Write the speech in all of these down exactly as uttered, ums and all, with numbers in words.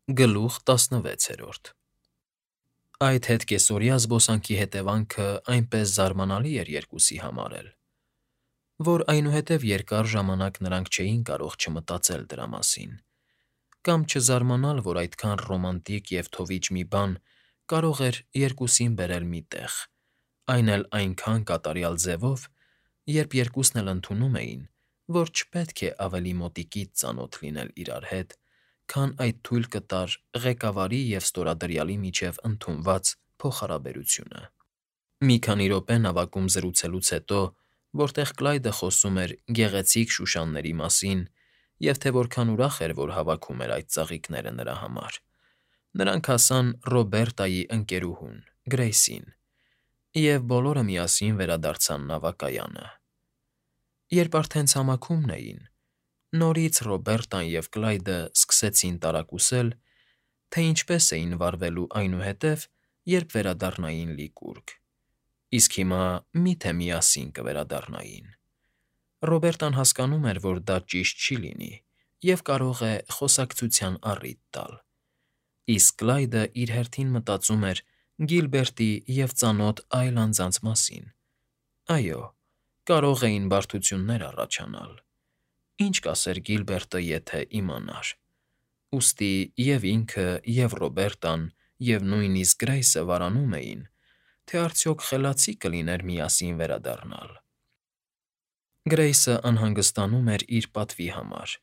Գլուխ տասնվեցերորդ Այդ հետկեսօրյա զբոսանքի հետևանքը այնպես զարմանալի էր երկուսի համար էլ, որ այնուհետև երկար ժամանակ նրանք չէին կարող չմտածել դրա մասին, կամ չզարմանալ, որ այդքան ռոմանտիկ և թովիչ մի բան կարող էր երկուսին բերել մի տեղ, այն էլ այնքան կատարյալ ձևով, երբ երկուսն էլ ընդունում էին, որ չպետք է ավելի մոտիկից ծանոթ լինել իրար հետ, քան այդ թույլ կտար ղեկավարի և ստորադրյալի միջև ընդունված փոխհարաբերությունը։ Մի քանի րոպե նավակում զրուցելուց հետո, որտեղ Կլայդը խոսում էր գեղեցիկ շուշանների մասին և թե որքան ուրախ էր, որ հավաքում էր այդ ծաղիկները նրա համար, նրանք հասան Ռոբերտայի ընկերուհուն՝ Գրեյսին, և բոլորը միասին վերադարձան նավակայանը։ Երբ արդեն ցամաքում էին, նորից Ռոբերտան և Կլայդը սկսեցին տարակուսել, թե ինչպես էին վարվելու այնուհետև, երբ վերադառնային լիկուրգ, իսկ հիմա մի՞թե միասին կվերադառնային։ Ռոբերտան հասկանում էր, որ դա ճիշտ չի լինի և կարող է խոսակցության առիթ տալ, իսկ Կլայդը իր հերթին մտածում էր Գիլբերտի և ծանոթ այլ անձանց մասին. այո, կարող էին բարդություններ առաջանալ, ինչ կասեր Գիլբերտը, եթե իմանար։ Ուստի և՛ ինքը, և՛ Ռոբերտան, և նույնիսկ Գրեյսը վարանում էին, թե արդյոք խելացի կլիներ միասին վերադառնալ։ Գրեյսը անհանգստանում էր իր պատվի համար,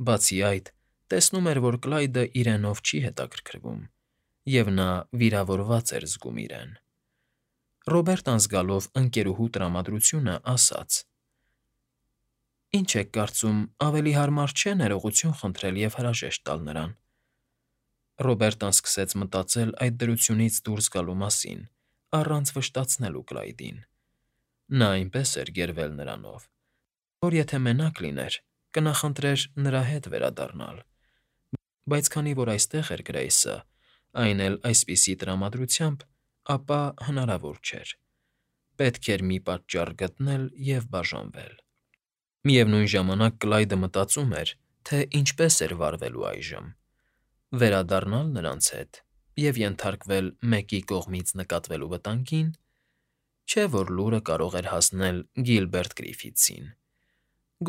բացի այդ, տեսնում էր, որ Կլայդը իրենով չի հետաքրքրվում, և նա վիրավորված էր զգում իրեն։ Ռոբերտան զգալով ընկերուհու տրամադրությունը, ասաց. «Ինչ եք կարծում, ավելի հարմար չէ՞ ներողություն խնդրել և հրաժեշտ տալ նրան»։ Ռոբերտան սկսեց մտածել այդ դրությունից դուրս գալու մասին, առանց վշտացնելու Կլայդին։ Նա այնպես էր գերվել նրանով, որ եթե մենակ լիներ, կնախընտրեր նրա հետ վերադառնալ, բայց քանի որ այստեղ էր Գրեյսը, այն էլ այսպիսի տրամադրությամբ, ապա հնարավոր չէր, պետք էր մի պատճառ գտնել և բաժանվել։ Միևնույն ժամանակ Կլայդը մտածում էր, թե ինչպես էր վարվելու այժմ՝ վերադառնա՞լ նրանց հետ և ենթարկվել մեկի կողմից նկատվելու վտանգին, չէ՞ որ լուրը կարող էր հասնել Գիլբերտ Գրիֆիթսին,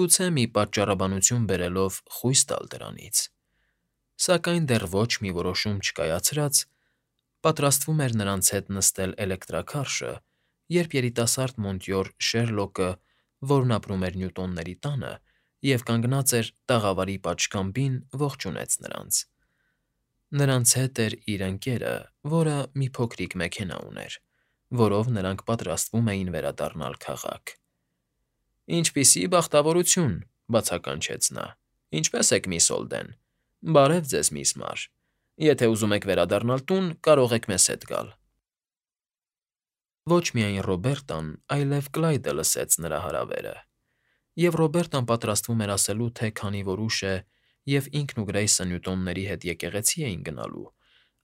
գուցե մի պատճառաբանություն բերելով խույս տալ դրանից, սակայն դեռ ոչ մի որոշում չկայացրած, պատրաստվում էր նրանց հետ նստել էլեկտրաքարշը, երբ երիտասարդ Մոնտյոր Շերլոկը, որն ապրում էր Նյուտոնների տանը և կանգնած էր տաղավարի պատշգամբին, ողջունեց նրանց։ Նրանց հետ էր իր ընկերը, որը մի փոքրիկ մեքենա ուներ, որով նրանք պատրաստվում էին վերադառնալ քաղաք։ «Ինչպիսի բախտավորություն,֊ բացականչեց նա,֊ Ինչպե՞ս եք, միս Հոլդեն, Բարև ձեզ, միս Մարր, Եթե ուզում եք վերադառնալ տուն, կարող եք մեզ հետ գալ»։ Ոչ միայն Ռոբերտան, այլև Կլայդը լսեց նրա հրավերը, և Ռոբերտան պատրաստվում էր ասելու, թե քանի որ ուշ է և ինքն ու Գրեյսը Նյուտոնների հետ եկեղեցի էին գնալու,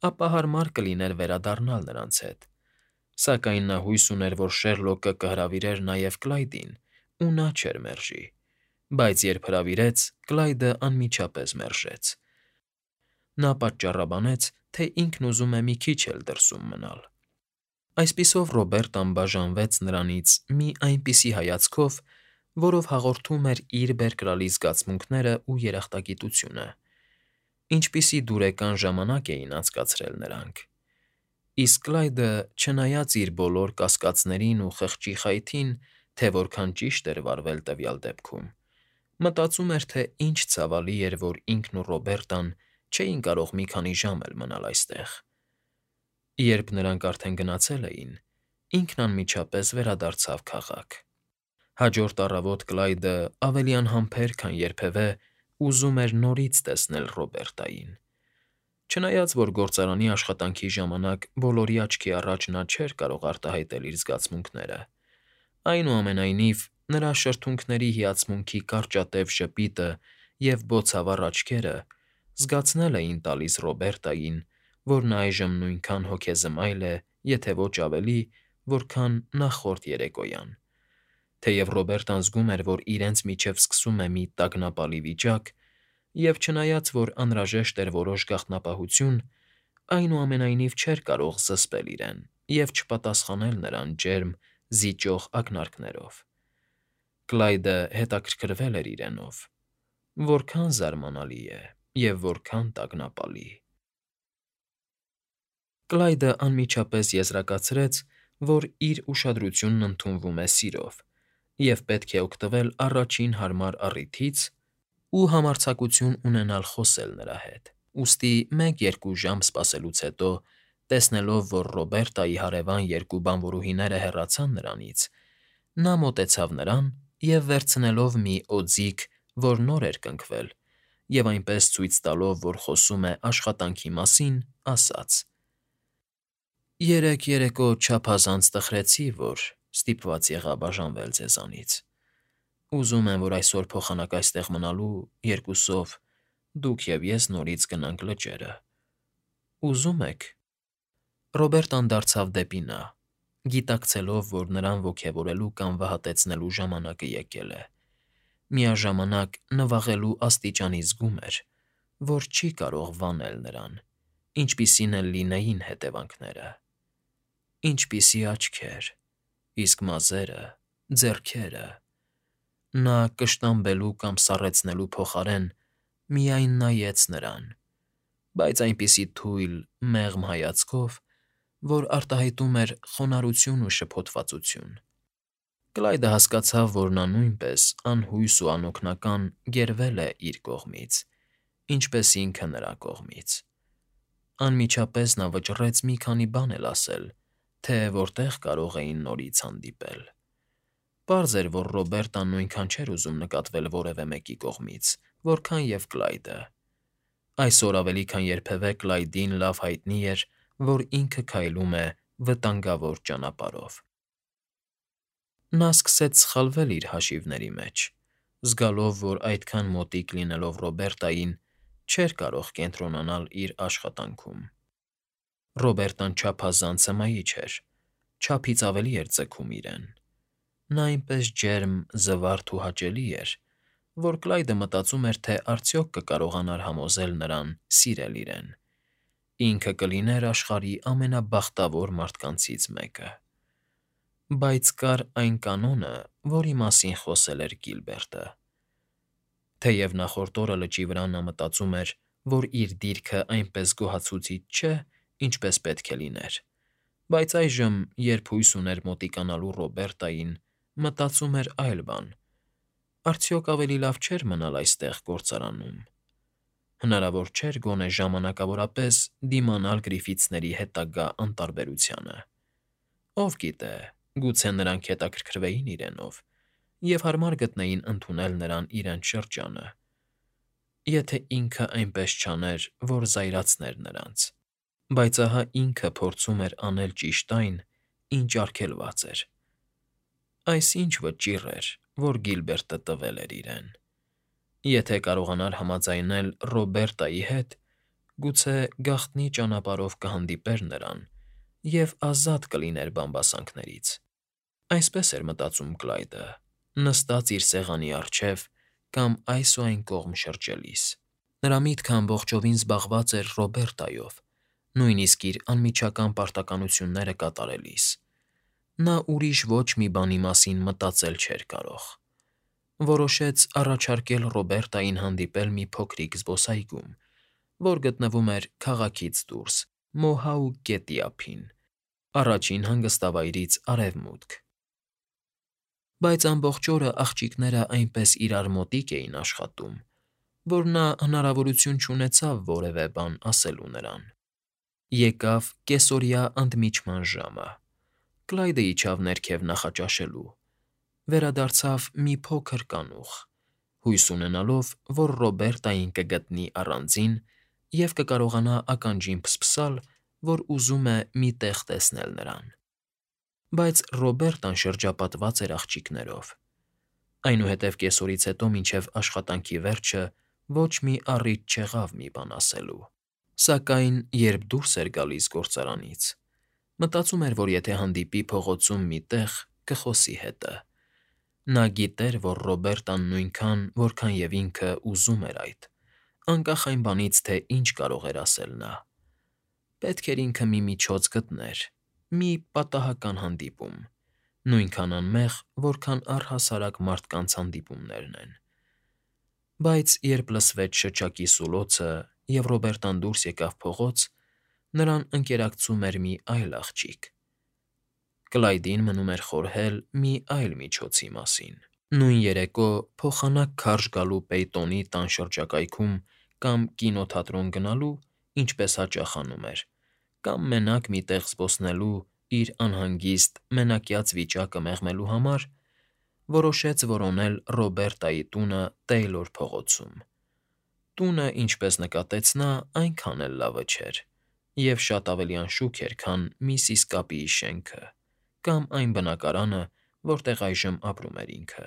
ապա հարմար կլիներ վերադառնալ նրանց հետ, սակայն նա հույս ուներ, որ Շերլոկը կհրավիրեր նաև Կլայդին, ու նա չէր մերժի, բայց երբ հրավիրեց, Կլայդը անմիջապես մերժեց։ Նա պատճառաբանեց, թե ինքն ուզում է մի քիչ էլ դրսում մնալ։ Այսպիսով Ռոբերտան բաժանվեց նրանից մի այնպիսի հայացքով, որով հաղորդում էր իր բերկրալի զգացմունքներն ու երախտագիտությունը, ինչպիսի դուրեկան ժամանակ էին անցկացրել նրանք, իսկ Կլայդը, չնայած իր բոլոր կասկածներին ու խղճի խայթին, թե որքան ճիշտ էր վարվել տվյալ դեպքում, մտածում էր, թե ինչ ցավալի էր, որ ինքն ու Ռոբերտան չէին կարող մի քանի ժամ էլ մնալ այստեղ։ Երբ նրանք արդեն գնացել էին, ինքն անմիջապես վերադարձավ քաղաք։ Հաջորդ առավոտ Կլայդը ավելի անհամբեր, քան երբևէ ուզում էր նորից տեսնել Ռոբերտային։ Չնայած որ գործարանի աշխատանքի ժամանակ բոլորի աչքի առաջ նա չէր կարող արտահայտել իր զգացմունքները, այնուամենայնիվ նրա շրթունքների հիացմունքի կարճատև ժպիտը և բոցավառ աչքերը զգացնել էին տալիս Ռոբերտային, որ նա այժմ նույնքան հոգեզմայլ է, եթե ոչ ավելի, որքան նախորդ երեկոյան, թեև Ռոբերտան զգում էր, որ իրենց միջև սկսում է մի տագնապալի վիճակ, Եվ չնայած, որ անհրաժեշտ էր որոշ գաղտնապահություն, այնուամենայնիվ չէր կարող զսպել իրեն և չպատասխանել նրան ջերմ, զիջող ակնարկներով։ Կլայդը հետաքրքրվել էր իրենով. որքան զարմանալի է և որքան տագնապալի։ Կլայդը անմիջապես եզրակացրեց, որ իր ուշադրությունն ընդունվում է սիրով, և պետք է օգտվել առաջին հարմար առիթից ու համարձակություն ունենալ խոսել նրա հետ։ Ուստի մեկ֊երկու ժամ սպասելուց հետո, տեսնելով, որ Ռոբերտայի հարևան երկու բանվորուհիները հեռացան նրանից, նա մոտեցավ նրան և, վերցնելով մի օձիք, որ նոր էր կնքվել, և այնպես ցույց տալով, որ խոսում է աշխատանքի մասին, ասաց. «Երեկ երեկո չափազանց տխրեցի, որ ստիպված եղա բաժանվել ձեզանից։ Ուզում եմ, որ այսօր փոխանակ այստեղ մնալու, երկուսով, դուք և ես նորից գնանք լճերը։ Ուզո՞ւմ եք»։ Ռոբերտան դարձավ դեպի նա, գիտակցելով, որ նրան ոգևորելու կամ վհատեցնելու ժամանակը եկել է, միաժամանակ նվաղելու աստիճանի զգում էր, որ չի կարող վանել նրան, ինչպիսին էլ լինեին հետևանքները։ Ինչպիսի աչքեր, իսկ մազերը, ձեռքերը… Նա կշտամբելու կամ սառեցնելու փոխարեն միայն նայեց նրան, բայց այնպիսի թույլ, մեղմ հայացքով, որ արտահայտում էր խոնարհություն ու շփոթվածություն։ Կլայդը հասկացավ, որ նա նույնպես անհույս ու անօգնական գերվել է իր կողմից, ինչպես ինքը նրա կողմից։ Անմիջապես նա վճռեց մի քանի բան էլ ասել, թե որտեղ կարող էին նորից հանդիպել։ Պարզ էր, որ Ռոբերտան նույնքան չէր ուզում նկատվել որևէ մեկի կողմից, որքան և Կլայդը։ Այսօր ավելի քան երբևէ Կլայդին լավ հայտնի էր, որ ինքը քայլում է վտանգավոր ճանապարհով։ Նա սկսեց սխալվել իր հաշիվների մեջ, զգալով, որ այդքան մոտիկ լինելով Ռոբերտային, չէր կարող կենտրոնանալ իր աշխատանքում։ Ռոբերտան չափազանց հմայիչ էր, չափից ավելի էր ձգում իրեն։ Նա այնպես ջերմ, զվարթ ու հաճելի էր, որ Կլայդը մտածում էր, թե արդյոք կկարողանար համոզել նրան սիրել իրեն։ Ինքը կլիներ աշխարհի ամենաբախտավոր մարդկանցից մեկը։ Բայց կար այն կանոնը, որի մասին խոսել էր Գիլբերտը։ Թեև նախորդ օրը լճի վրա նա մտածում էր, որ իր դիրքը այնպես գոհացուցիչ չէ, ինչպես պետք է լիներ, բայց այժմ, երբ հույս ուներ մոտիկանալու Ռոբերտային, մտածում էր այլ բան. արդյոք ավելի լավ չէր մնալ այստեղ գործարանում։ Հնարավոր չէր գոնե ժամանակավորապես դիմանալ Գրիֆիթսների հետագա անտարբերությանը։ Ով գիտե, գուցե նրանք հետաքրքրվեին իրենով և հարմար գտնեին ընդունել նրան իրենց շրջանը, եթե ինքը այնպես չաներ, որ զայրացներ նրանց։ Բայց ահա ինքը փորձում էր անել ճիշտ այն, ինչ արգելված էր։ Այս ի՞նչ վճիռ էր, որ Գիլբերտը տվել էր իրեն։ Եթե կարողանար համաձայնել Ռոբերտայի հետ, գուցե գաղտնի ճանապարհով կհանդիպեր նրան և ազատ կլիներ բամբասանքներից։ Այսպես էր մտածում Կլայդը, նստած իր սեղանի առջև կամ այս ու այն կողմ շրջելիս։ Նրա միտքը ամբողջովին զբաղված էր Ռոբերտայով, նույնիսկ իր անմիջական պարտականությունները կատարելիս։ Նա ուրիշ ոչ մի բանի մասին մտածել չէր կարող։ Որոշեց առաջարկել Ռոբերտային հանդիպել մի փոքրիկ զբոսայգում, որ գտնվում էր քաղաքից դուրս, Մոհաուկ գետի ափին, առաջին հանգստավայրից արևմուտք։ Բայց ամբողջ օրը աղջիկները այնպես իրար մոտիկ էին աշխատում, որ նա հնարավորություն չունեցավ որևէ բան ասելու նրան։ Եկավ կեսօրյա ընդմիջման ժամը։ Կլայդը իջավ ներքև նախաճաշելու, վերադարձավ մի փոքր կանուխ, հույս ունենալով, որ Ռոբերտային կգտնի առանձին և կկարողանա ականջին փսփսալ, որ ուզում է մի տեղ տեսնել նրան։ Բայց Ռոբերտան շրջապատված էր աղջիկներով։ Այնուհետև կեսօրից հետո մինչև աշխատանքի վերջը ոչ մի առիթ չեղավ մի բան ասելու։ Սակայն երբ դուրս էր գալիս գործարանից, մտածում էր, որ եթե հանդիպի փողոցում մի տեղ, կխոսի հետը։ Նա գիտեր, որ Ռոբերտան նույնքան, որքան և ինքը ուզում էր այդ, անկախ այն բանից, թե ինչ կարող էր ասել նա։ Պետք էր ինքը մի միջոց գտներ, մի պատահական հանդիպում, նույնքան անմեղ, որքան առհասարակ մարդկանց հանդիպումներն են։ Բայց երբ լսվեց շչակի սուլոցը, և Ռոբերտան դուրս եկավ փողոց, նրան ընկերակցում էր մի այլ աղջիկ։ Կլայդին մնում էր խորհել մի այլ միջոցի մասին։ Նույն երեկո փոխանակ քարշ գալու Պեյտոնի տան շրջակայքում կամ կինոթատրոն գնալու, ինչպես հաճախ անում էր, կամ մենակ մի տեղ զբոսնելու իր անհանգիստ, մենակյաց վիճակը մեղմելու համար, որոշեց որոնել Ռոբերտայի տունը Տեյլոր փողոցում։ Տունը, ինչպես նկատեց նա, այնքան էլ լավը չէր, և շատ ավելի անշուք էր, քան Միսիս Կապիի շենքը կամ այն բնակարանը, որտեղ այժմ ապրում էր ինքը։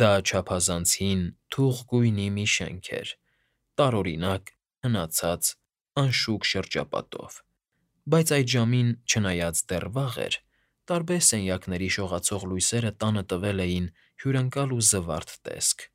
Դա չափազանց հին, թուխ գույնի մի շենք էր, տարօրինակ, հնացած, անշուք շրջապատով, բայց այդ ժամին, չնայած դեռ վաղ էր, տարբեր սենյակների շողացող լույսերը տանը տվել էին հյուրընկալ ու զվարթ տեսք։